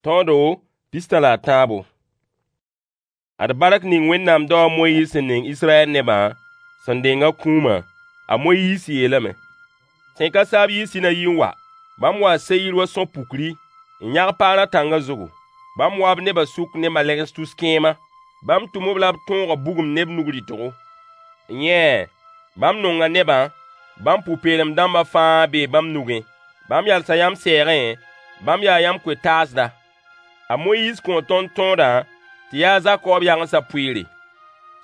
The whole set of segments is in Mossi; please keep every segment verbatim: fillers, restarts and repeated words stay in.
Tõodo pistã la a tãabo. Ad bark ning Wẽnnaam dao a Moyiis sẽn ning Israyɛl nebã sẽn deng a kũumã. A Moyiis yeelame: Sẽn ka saab yii Sinayi n wa. Bãmb waa Seyir wa sõ-pukri, n yãg Paarã tãngã zugu. Bãmb waa b nebã sʋk ne malegs tus kẽema. Bãmb tʋm-b la b tõoga bugum ne b nug rɩtgo. Yẽ, bãmb nonga nebã, bãmb pʋ-peelem dãmbã fãa bee bãmb nugẽ. Bãmb yalsa yãmb sɛɛgẽ, bãmb yaa yãmb koe-taasda. A Moyiis kõo tõnd tõodã tɩ yaa a Zakoob yagensã pʋɩɩre.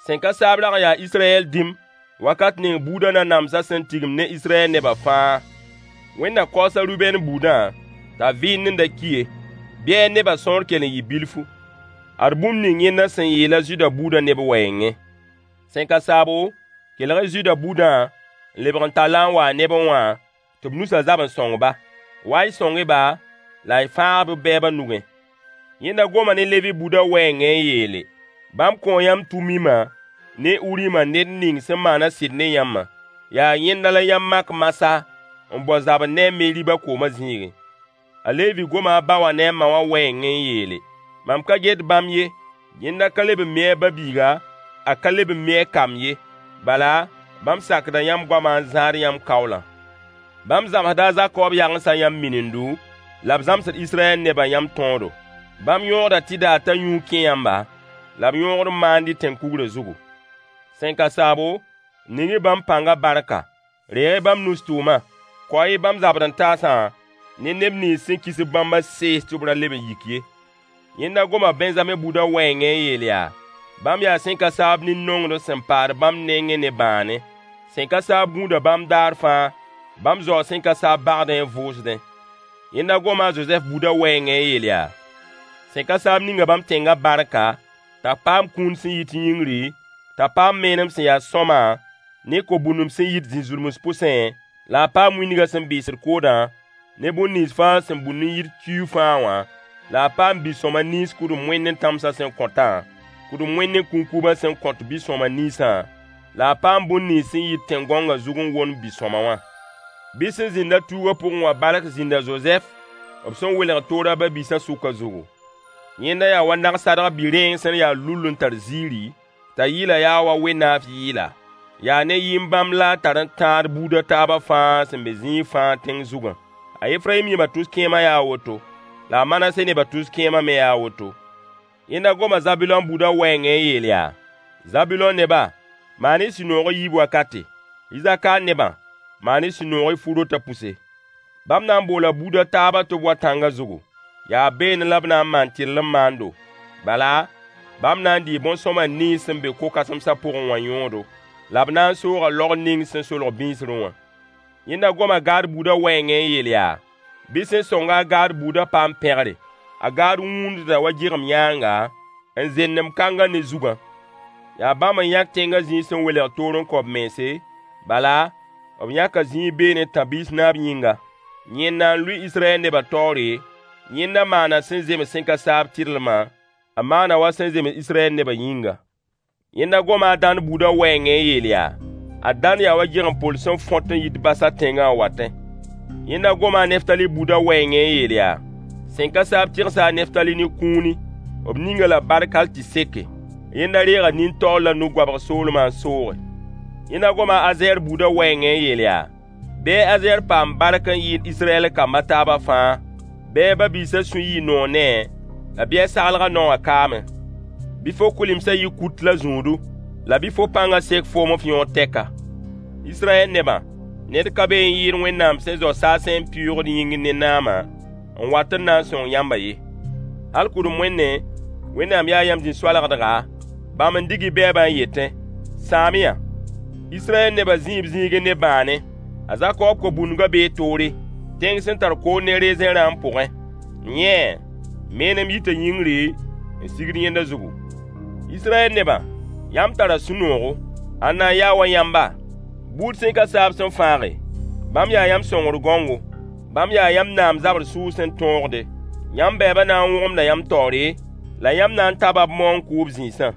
Sẽn ka saab rag n yaa Israyɛl dĩm wakat ning buudã nanamsã sẽn tigim ne Israyɛl nebã fãa. Wẽnda kaoosa Rubɛn buudã t'a vɩɩndẽ da ki ye, bɩ a nebã sõor kell n yɩ bilfu. Ad bũmb ning yẽnda sẽn yeel a Zuda buudã ne b wɛɛngẽ: Sẽn ka saabo, kelg-y Zuda buudã n lebg n tall-a n wa a nebẽ wã tɩ b nusã zab n sõng-ba. Wa-y sõng-y-ba la y fãag-b b bɛɛbã nugẽ. Yẽnda goma ne Levi buudã wɛɛngẽ n yeele: Bãmb kõo yãmb Tumimã ne Urimã ned ning sẽn maana sɩd ne yãmbã. Yaa yẽnda la yãmb mak Masa n bao zabr ne a Meriba koomã zĩigẽ. A Levi goma a ba wã ne a ma wã wɛɛngẽ n yeele: Mam ka get bãmb ye, yẽnda ka leb n mi a ba-biiga, a ka leb n mi a kamb ye. Bala, bãmb sakda yãmb goamã n zãad yãmb kaoolã. Bãmb zãmsda a Zakoob yagensã yãmb minindo, la b zãmsd Israyɛl nebã yãmb tõodo. Bãmb yõogda tɩ daar t'a yũud kẽ yãmba, la b yõogd n maand y tẽn-kugrã zugu. Sẽn ka saabo, ning-y bãmb pãngã barka. Reeg-y bãmb nus tʋʋmã. Kao-y bãmb zabd-n-taasã ne neb nins sẽn kis-b bãmbã sees tɩ b ra leb n yik ye. Yẽnda goma Bɛnzame buudã wɛɛngẽ n yeel yaa: Bãmb yaa sẽn ka saab nin-nongd sẽn paad bãmb nengẽ ne bãane. Sẽn ka saab gũuda bãmb daar fãa. Bãmb zaoo sẽn ka saab bagdẽ n vʋʋsdẽ. Yẽnda goma a Zozɛf buudã wɛɛngẽ n yeel yaa: Sẽn ka saab ninga bãmb tẽngã barka, t'a paam kũun sẽn yit yĩngri, t'a paam menem sẽn ya sõama, ne ko-bũndum sẽn yit zĩ-zulms pʋsẽ, la a paam wĩndgã sẽn bɩɩsd koodã, ne bũmb nins fãa sẽn bund n yit kiuug fãa wã, la a paam bi-sõama nins kʋdem-wẽnd-tãmsã sẽn kõtã, kʋdem-wẽnd kũnkubã sẽn kõt bi-sõama ninsã, la a paam bũmb nins sẽn yit tẽn-gãongã zug n womd bi-sõama wã. Bɩ sẽn zĩnd-a tuugã pʋgẽ wã bark zĩnd a Zozɛf, b sẽn welg toor a ba-biisã sʋkã zugu. Yẽnda yaa wa nag-sadg bi-rẽeng sẽn ya lull n tar ziiri, t'a yɩlã yaa wa we-naaf yɩɩla. Yaa ne yĩn-bãmb la a tar n tãad buud a taabã fãa sẽn be zĩig fãa tẽng zugã. A Efrayim yẽba tus-kẽemã yaa a woto, la a Manase neba tus-kẽemã me yaa a woto. Yẽnda goma Zabulõ buudã wɛɛngẽ n yeel yaa: Zabulõ neba, maan-y sũ-noog y yiib wakate. Isakaar nebã, maan-y sũ-noog y fu-rotã pʋse. Bãmb na n boola buud a taabã tɩ b wa tãngã zugu. Yaa beene la b na n maan tɩrlem maando. Bala, bãmb na n dɩɩ bõn-sõma nins sẽn be ko-kãsemsã pʋgẽ wã yõodo, la b na n sooga laog ning sẽn solg bĩisrẽ wã. Yẽnda goma Gaad buudã wɛɛngẽ n yeel yaa: Bɩ sẽn sõng-a a Gaad buudã paam pẽgre. A Gaad wũundda wa gɩgem yãanga, n zendem kãngã ne zugã. Yaa bãmb n yãk tẽngã zĩig sẽn welg toor n kõ b mense, bala, b yãka zĩig beene tãb-biis naab yĩnga. Yẽnda n lʋɩ Israyɛl nebã taoore, yẽnda maana sẽn zems sẽn ka saab tɩrlmã, a maana wa sẽn zems Israyɛl nebã yĩnga. Yẽnda goma a Dãn buudã wɛɛngẽ n yeel yaa: A Dãn yaa wa gɩgem-pol sẽn fõt n yit Basã tẽngã n watẽ. Yẽnda goma a Neftali buudã wɛɛngẽ n yeel yaa: Sẽn ka saab tɩgsa a Neftali ne kũuni. B ning-a la bark hal tɩ seke. Yẽnda reega nin-taoor la nu-goabg soolmã n sooge. Yẽnda goma a Azɛɛr buudã wɛɛngẽ n yeel yaa: Bɩ a Azɛɛr paam bark n yɩɩd Israyɛl kamb a taabã fãa. Bɩ a ba-biisã sũ yɩ noor ne-a, la bɩ a saglgã naowã kaamẽ. Bɩ fo kʋɩlemsã yɩ kut la zũudu, la bɩ fo pãngã sek foom f yõod tɛka. Israyɛl nebã, ned ka be n yɩɩd Wẽnnaam sẽn zao saasẽ n pɩʋʋgd yĩngr ne naamã n wat n na n sõng yãmbã ye. Hal kʋdem-wẽnnẽ, Wẽnnaam yaa yãmb zĩ-soalgdga, bãmb n dig y bɛɛbã n yetẽ: Sãam-y-yã. Israyɛl nebã zĩi b zĩigẽ ne bãane. A Zakoob ko-bũndgã bee toore, tẽng sẽn tar kood ne rezẽ rãam pʋgẽ. Yẽ, menem yita yĩngri n sigd yẽnda zugu. Israyɛl nebã, yãmb tara sũ-noogo. Ãnna n ya wa yãmba, buud sẽn ka saab sẽn fãage? Bãmb yaa yãmb sõngr gãongo. Bãmb yaa yãmb naam zabr sʋʋg sẽn tõogde. Yãmb bɛɛbã na n wõgemda yãmb taoore, la yãmb na n taba b maoong kʋʋb zĩisã.